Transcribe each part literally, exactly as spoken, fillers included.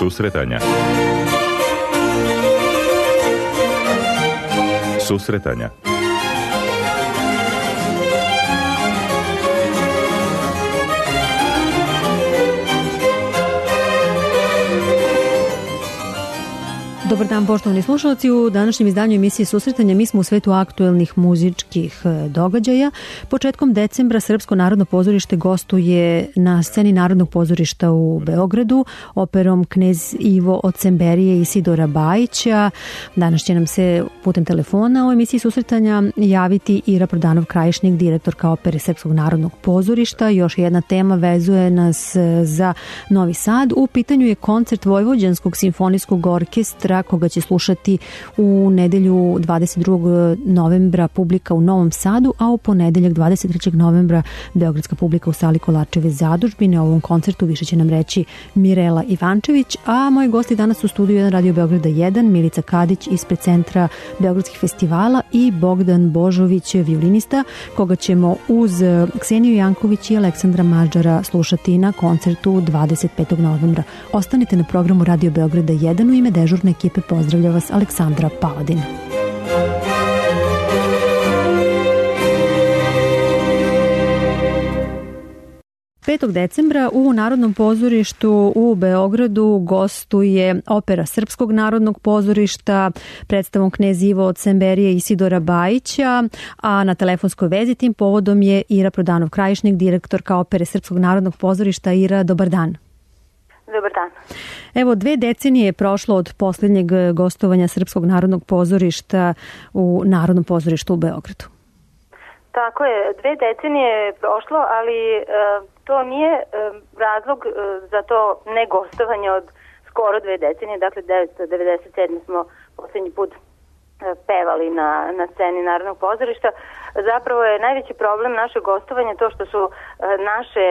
Susretanja. Susretanja. Dobar dan, poštovani slušalci. U današnjem izdanju emisije Susretanja mi smo u svetu aktuelnih muzičkih događaja. Početkom decembra Srpsko narodno pozorište gostuje na sceni Narodnog pozorišta u Beogradu operom Knez Ivo od Semberije i Isidora Bajića. Danas će nam se putem telefona u emisiji Susretanja javiti Ira Prodanov-Krajišnik, direktorka opere Srpskog narodnog pozorišta. Još jedna tema vezuje nas za Novi Sad. U pitanju je koncert Vojvođanskog simfonijskog orkestra koga će slušati u nedelju dvadeset drugog novembra publika u Novom Sadu, a u ponedeljak dvadeset trećeg novembra beogradska publika u sali Kolarčeve zadužbine. O ovom koncertu više će nam reći Mirela Ivančević, a moji gosti danas u studiju jedan Radio Beograda jedan, Milica Kadić ispred Centra beogradskih festivala i Bogdan Božović, violinista, koga ćemo uz Kseniju Janković i Aleksandra Mađara slušati na koncertu dvadeset petog novembra. Ostanite na programu Radio Beograda jedan. U ime dežurne ekipe pozdravlja vas Aleksandra Paladin. petog decembra u Narodnom pozorištu u Beogradu gostuje opera Srpskog narodnog pozorišta predstavom Knez Ivo od Semberije i Isidora Bajića, a na telefonskoj vezi tim povodom je Ira Prodanov-Krajišnik, direktorka opere Srpskog narodnog pozorišta. Ira, dobar dan. Dobar dan. Evo, dve decenije je prošlo od posljednjeg gostovanja Srpskog narodnog pozorišta u Narodnom pozorištu u Beogradu. Tako je, dve decenije je prošlo, ali e, to nije e, razlog e, za to ne gostovanje od skoro dve decenije. Dakle, devetsto devedeset sedme smo posljednji put pevali na, na sceni Narodnog pozorišta. Zapravo je najveći problem našeg gostovanja to što su naše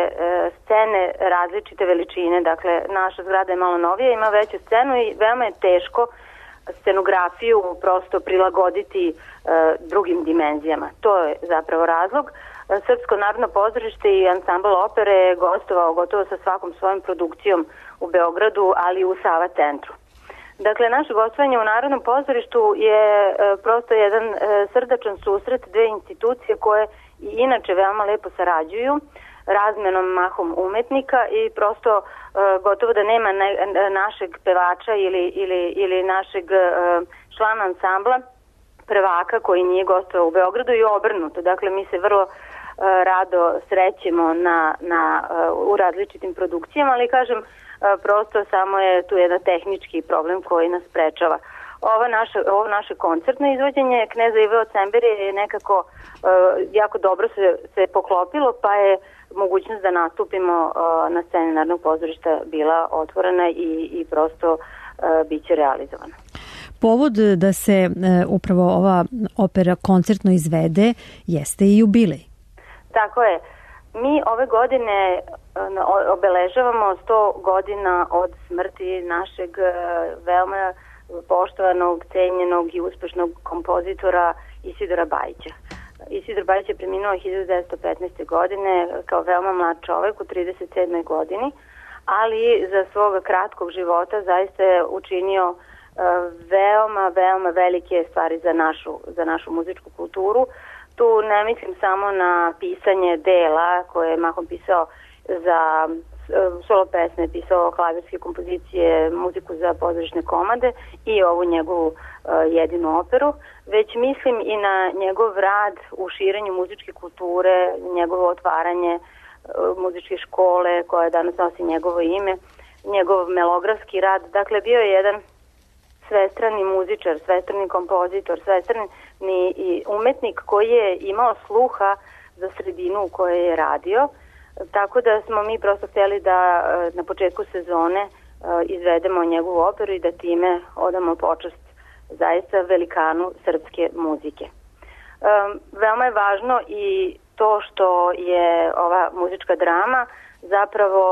scene različite veličine. Dakle, naša zgrada je malo novija, ima veću scenu i veoma je teško scenografiju prosto prilagoditi e, drugim dimenzijama. To je zapravo razlog. Srpsko narodno pozorište i ansambl opere je gostovao gotovo sa svakom svojom produkcijom u Beogradu, ali i u Sava centru. Dakle, naše gostovanje u Narodnom pozorištu je e, prosto jedan e, srdačan susret dve institucije koje i inače veoma lepo sarađuju, razmenom mahom umetnika i prosto e, gotovo da nema ne, našeg pevača ili, ili, ili našeg e, člana ansambla prvaka koji nije gostovao u Beogradu i obrnuto. Dakle, mi se vrlo e, rado srećemo na, na, e, u različitim produkcijama, ali kažem, prosto samo je tu jedan tehnički problem koji nas sprečava. Ova naša, ovo naše koncertno izvođenje Kneza Ive od Semberije je nekako uh, jako dobro se, se poklopilo, pa je mogućnost da nastupimo uh, na sceni Narodnog pozorišta bila otvorena i, i prosto uh, bit će realizovana. Povod da se uh, upravo ova opera koncertno izvede jeste i jubilej. Tako je. Mi ove godine obeležavamo sto godina od smrti našeg veoma poštovanog, cenjenog i uspešnog kompozitora Isidora Bajića. Isidor Bajić je preminuo hiljadu devetsto petnaeste. godine kao veoma mlad čovek u trideset sedmoj godini, ali za svoga kratkog života zaista je učinio veoma, veoma velike stvari za našu, za našu muzičku kulturu. Tu ne mislim samo na pisanje dela koje je mahom pisao za solo pesme, pisao klavirske kompozicije, muziku za pozorišne komade i ovu njegovu uh, jedinu operu, već mislim i na njegov rad u širenju muzičke kulture, njegovo otvaranje uh, muzičke škole koja danas nosi njegovo ime, njegov melografski rad. Dakle, bio je jedan svestrani muzičar, svestrani kompozitor, svestrani i umetnik koji je imao sluha za sredinu u kojoj je radio. Tako da smo mi prosto htjeli da na početku sezone izvedemo njegovu operu i da time odamo počast zaista velikanu srpske muzike. Veoma je važno i to što je ova muzička drama zapravo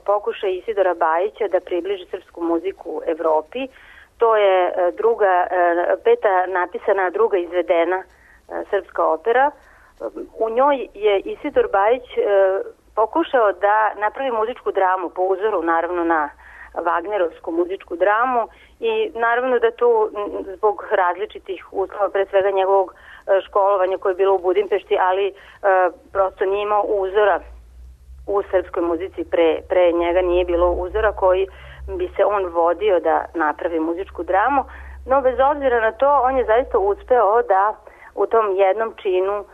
pokušaj Isidora Bajića da približi srpsku muziku Evropi. To je druga, peta napisana, druga izvedena srpska opera. U njoj je Isidor Bajić pokušao da napravi muzičku dramu po uzoru naravno na Wagnerovsku muzičku dramu i naravno da tu zbog različitih uslova, pre svega njegovog školovanja koje je bilo u Budimpešti, ali e, prosto nije imao uzora u srpskoj muzici, pre, pre njega nije bilo uzora koji bi se on vodio da napravi muzičku dramu, no bez obzira na to on je zaista uspeo da u tom jednom činu e,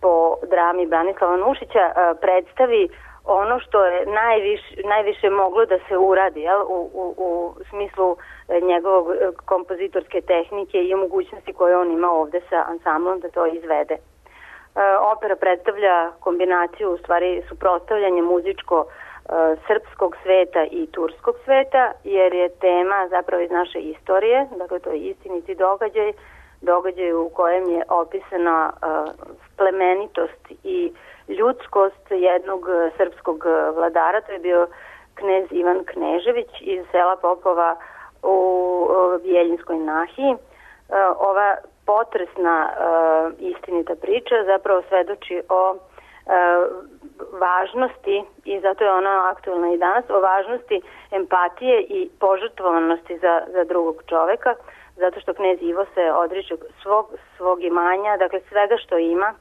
po drami Branislava Nušića e, predstavi ono što je najviše, najviše moglo da se uradi, jel, u, u, u smislu njegovog kompozitorske tehnike i mogućnosti koje on ima ovde sa ansamblom da to izvede. E, opera predstavlja kombinaciju, u stvari suprotstavljanje muzičko e, srpskog sveta i turskog sveta, jer je tema zapravo iz naše istorije, dakle to je istiniti događaj, događaj u kojem je opisana e, plemenitost i ljudskost jednog srpskog vladara, to je bio knez Ivan Knežević iz sela Popova u Bjeljinskoj nahiji. Ova potresna istinita priča zapravo svedoči o važnosti, i zato je ona aktualna i danas, o važnosti empatije i požrtvovanosti za, za drugog čoveka, zato što knez Ivo se odriče svog, svog imanja, dakle svega što ima,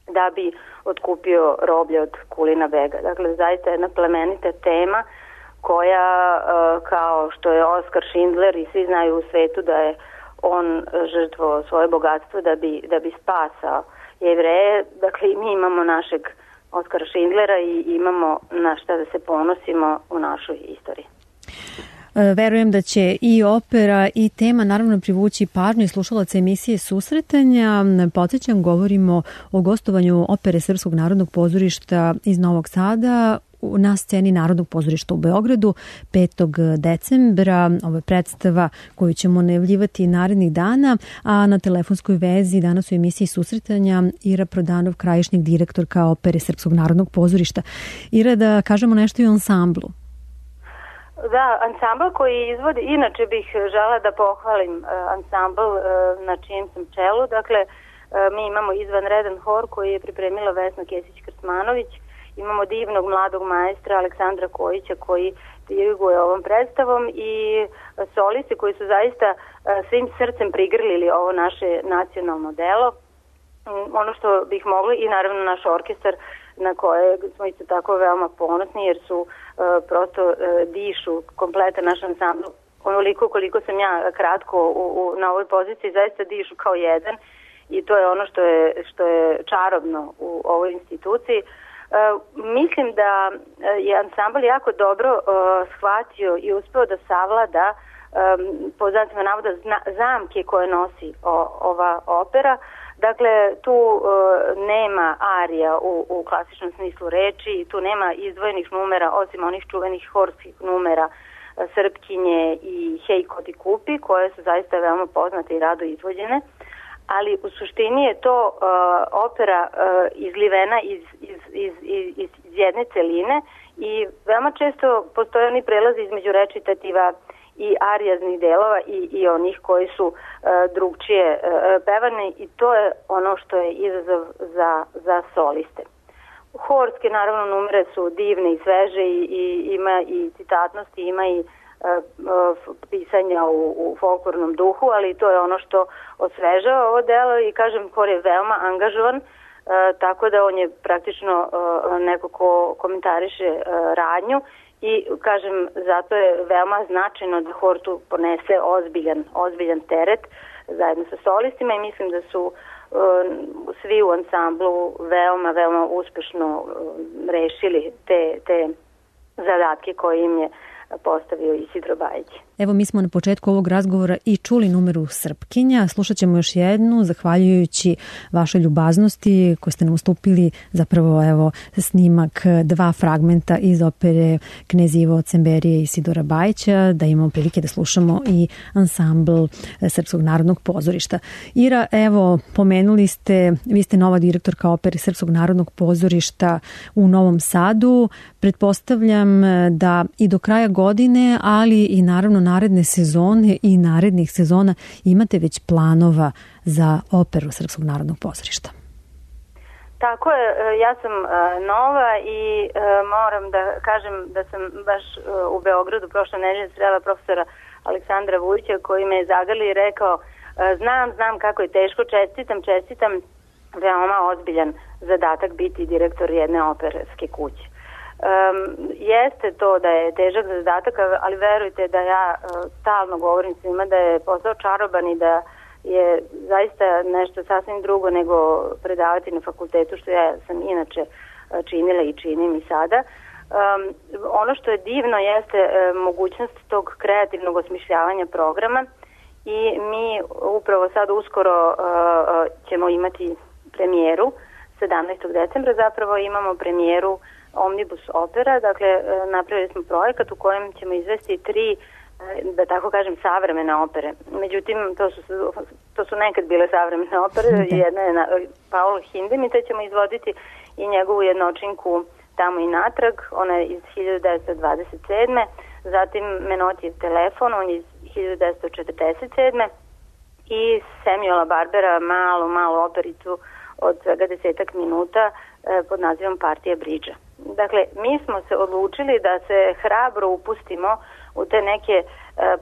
da bi otkupio roblje od Kulina bega. Dakle, zaista jedna plemenita tema koja, kao što je Oskar Schindler i svi znaju u svetu da je on žrtvovao svoje bogatstvo da bi, da bi spasao Jevreje. Dakle, i mi imamo našeg Oskara Schindlera i imamo na šta da se ponosimo u našoj istoriji. Verujem da će i opera i tema naravno privući pažnju i slušalaca emisije Susretanja. Podsjećam, govorimo o gostovanju opere Srpskog narodnog pozorišta iz Novog Sada na sceni Narodnog pozorišta u Beogradu petog decembra. Ovo je predstava koju ćemo najavljivati narednih dana, a na telefonskoj vezi danas u emisiji Susretanja Ira Prodanov, krajišnjeg direktorka opere Srpskog narodnog pozorišta. Ira, da kažemo nešto i o ansamblu. Da, ansambl koji izvodi, inače bih žela da pohvalim uh, ansambl uh, na čijem sam čelu. Dakle, uh, mi imamo izvanredan hor koji je pripremila Vesna Kesić-Krcmanović, imamo divnog mladog maestra Aleksandra Kojića koji diriguje ovom predstavom i uh, solisti koji su zaista uh, svim srcem prigrlili ovo naše nacionalno delo. Um, ono što bih mogli, i naravno naš orkestar na koje smo isto tako veoma ponosni, jer su uh, prosto uh, dišu kompletan naš ansambl. Onoliko koliko sam ja kratko u, u, na ovoj poziciji, zaista dišu kao jedan, i to je ono što je, što je čarobno u ovoj instituciji. Uh, mislim da je ansambl jako dobro uh, shvatio i uspeo da savlada um, po znacima navoda zna, zamke koje nosi o, ova opera. Dakle, tu uh, nema arija u, u klasičnom smislu reči, tu nema izdvojenih numera, osim onih čuvenih horskih numera uh, Srpkinje i Hej ko ti kupi, koje su zaista veoma poznate i rado izvođene, ali u suštini je to uh, opera uh, izlivena iz, iz, iz, iz, iz jedne celine i veoma često postoje oni prelazi između recitativa i arijaznih delova i, i onih koji su uh, drugčije uh, pevane, i to je ono što je izazov za, za soliste. Horske, naravno, numere su divne i sveže i, i ima i citatnosti, ima i uh, uh, pisanja u, u folklornom duhu, ali to je ono što osvežava ovo delo i, kažem, hor je veoma angažovan, uh, tako da on je praktično uh, neko ko komentariše uh, radnju. I, kažem, zato je veoma značajno da hor tu ponese ozbiljan, ozbiljan teret zajedno sa solistima, i mislim da su uh, svi u ansamblu veoma, veoma uspešno uh, rešili te, te zadatke koje im je postavio Isidro Bajić. Evo, mi smo na početku ovog razgovora i čuli numeru Srpkinja. Slušat ćemo još jednu, zahvaljujući vašoj ljubaznosti koje ste nam ustupili, zapravo evo snimak, dva fragmenta iz opere Knez Ivo Cemberije i Isidora Bajića, da imamo prilike da slušamo i ansambl Srpskog narodnog pozorišta. Ira, evo, pomenuli ste, vi ste nova direktorka opere Srpskog narodnog pozorišta u Novom Sadu. Pretpostavljam da i do kraja godine, ali i naravno naredne sezone i narednih sezona imate već planova za operu Srpskog narodnog pozorišta. Tako je, ja sam nova i moram da kažem da sam baš u Beogradu prošle nedelje srela profesora Aleksandra Vujića koji me je zagrlio i rekao znam, znam kako je teško, čestitam, čestitam, veoma ozbiljan zadatak biti direktor jedne operske kuće. Um, jeste to da je težak zadatak, ali verujte da ja uh, stalno govorim svima da je posao čaroban i da je zaista nešto sasvim drugo nego predavati na fakultetu, što ja sam inače uh, činila i činim i sada. Um, ono što je divno jeste uh, mogućnost tog kreativnog osmišljavanja programa i mi upravo sad uskoro uh, uh, ćemo imati premijeru, sedamnaestog decembra zapravo imamo premijeru Omnibus opera, dakle napravili smo projekat u kojem ćemo izvesti tri, da tako kažem, savremene opere. Međutim, to su, to su nekad bile savremene opere, jedna je na, Paolo Hindemith, ćemo izvoditi i njegovu jednočinku Tamo i natrag, ona je iz hiljadu devetsto dvadeset sedme. Zatim Menotijev telefon, on je iz hiljadu devetsto četrdeset sedme. i Samuela Barbera malu, malu opericu od svega desetak minuta e, pod nazivom Partija bridža. Dakle, mi smo se odlučili da se hrabro upustimo u te neke, e,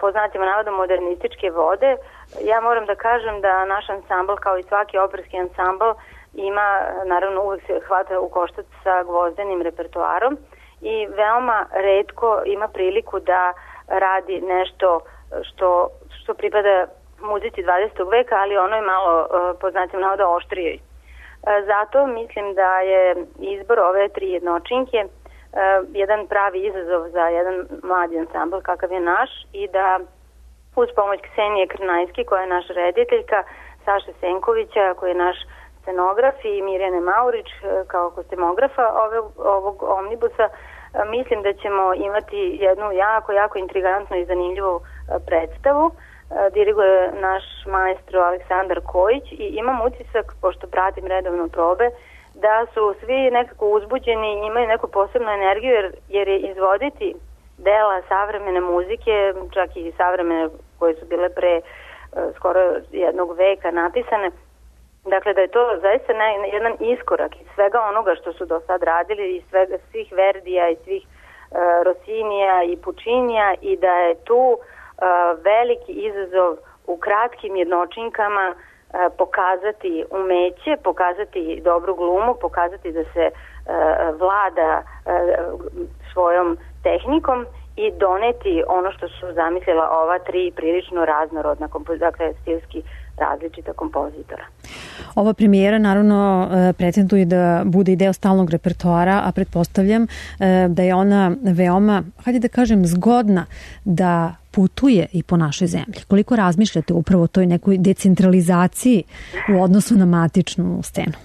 po znacima navoda, modernističke vode. Ja moram da kažem da naš ansambl, kao i svaki operski ansambl, ima, naravno, uvek se hvata u koštac sa gvozdenim repertoarom i veoma retko ima priliku da radi nešto što, što pripada muzici dvadesetog veka, ali ono je malo, po znacima navoda, oštrijoj. Zato mislim da je izbor ove tri jednočinke jedan pravi izazov za jedan mladi ansambl kakav je naš i da uz pomoć Ksenije Krnajski, koja je naša rediteljka, Saše Senkovića, koji je naš scenograf, i Mirjane Maurić kao kostemografa ovog, ovog omnibusa, mislim da ćemo imati jednu jako, jako intrigantnu i zanimljivu predstavu. Diriguje naš maestro Aleksandar Kojić i imam utisak, pošto pratim redovno probe, da su svi nekako uzbuđeni i imaju neku posebnu energiju, jer, jer je izvoditi dela savremene muzike, čak i savremene koje su bile pre skoro jednog veka napisane. Dakle, da je to zaista ne, jedan iskorak iz svega onoga što su do sad radili, iz svega, svih Verdija i svih uh, Rosinija i Pučinija, i da je tu uh, veliki izazov u kratkim jednočinkama uh, pokazati umeće, pokazati dobru glumu, pokazati da se uh, vlada uh, svojom tehnikom i doneti ono što su zamislila ova tri prilično raznorodna, dakle stilski različita kompozitora. Ova premijera naravno pretenduje da bude i deo stalnog repertoara, a pretpostavljam da je ona veoma, hajde da kažem, zgodna da putuje i po našoj zemlji. Koliko razmišljate upravo o toj nekoj decentralizaciji u odnosu na matičnu scenu?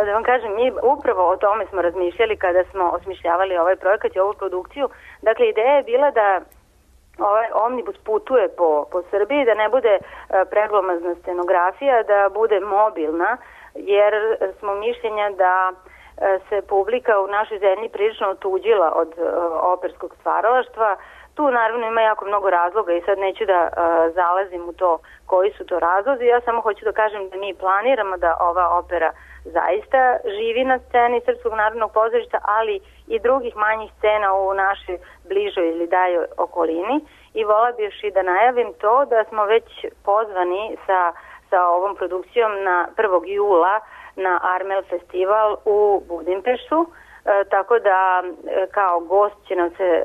Da vam kažem, mi upravo o tome smo razmišljali kada smo osmišljavali ovaj projekat i ovu produkciju. Dakle, ideja je bila da ovaj omnibus putuje po, po Srbiji, da ne bude preglomazna scenografija, da bude mobilna, jer smo mišljenja da se publika u našoj zemlji prilično otuđila od operskog stvaralaštva. Tu naravno ima jako mnogo razloga i sad neću da uh, zalazim u to koji su to razlozi. Ja samo hoću da kažem da mi planiramo da ova opera zaista živi na sceni Srpskog narodnog pozorišta, ali i drugih manjih scena u našoj bližoj ili daljoj okolini. I vola bih još i da najavim to da smo već pozvani sa, sa ovom produkcijom na prvog jula na Armel festival u Budimpeštu, e, tako da e, kao gost će nam se e,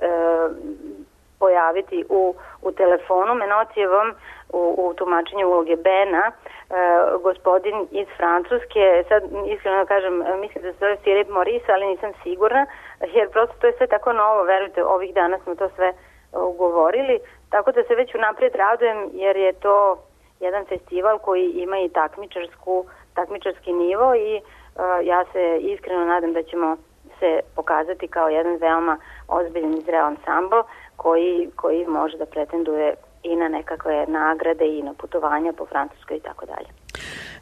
pojaviti u, u telefonu Menotijevom u, u tumačenju uloge Bena, e, gospodin iz Francuske. Sad iskreno da kažem, mislim da se zove Filip Maurice, ali nisam sigurna, jer prosto to je sve tako novo, verujte, ovih dana smo to sve ugovorili, tako da se već unaprijed radujem, jer je to jedan festival koji ima i takmičarsku, takmičarski nivo i uh, ja se iskreno nadam da ćemo se pokazati kao jedan veoma ozbiljan i zreo ansambl koji, koji može da pretenduje i na nekakve nagrade i na putovanja po Francuskoj i tako dalje.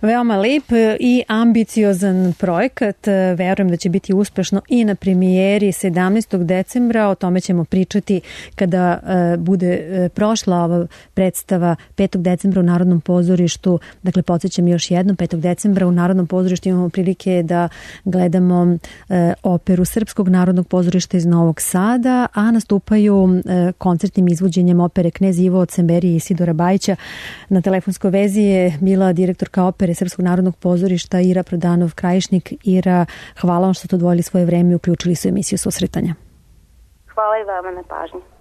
Veoma lep i ambiciozan projekat. Verujem da će biti uspešno i na premijeri sedamnaestog decembra. O tome ćemo pričati kada bude prošla ova predstava petog decembra u Narodnom pozorištu. Dakle, podsjećam još jednom, petog decembra u Narodnom pozorištu imamo prilike da gledamo operu Srpskog narodnog pozorišta iz Novog Sada, a nastupaju koncertnim izvođenjem opere Knez Ivo od Semberije i Sidora Bajića. Na telefonskoj vezi je bila direktorka opere Srpskog narodnog pozorišta Ira Prodanov-Krajišnik. Ira, hvala vam što ste odvojili svoje vreme i uključili se u emisiju Susretanja. Hvala i vama na pažnji.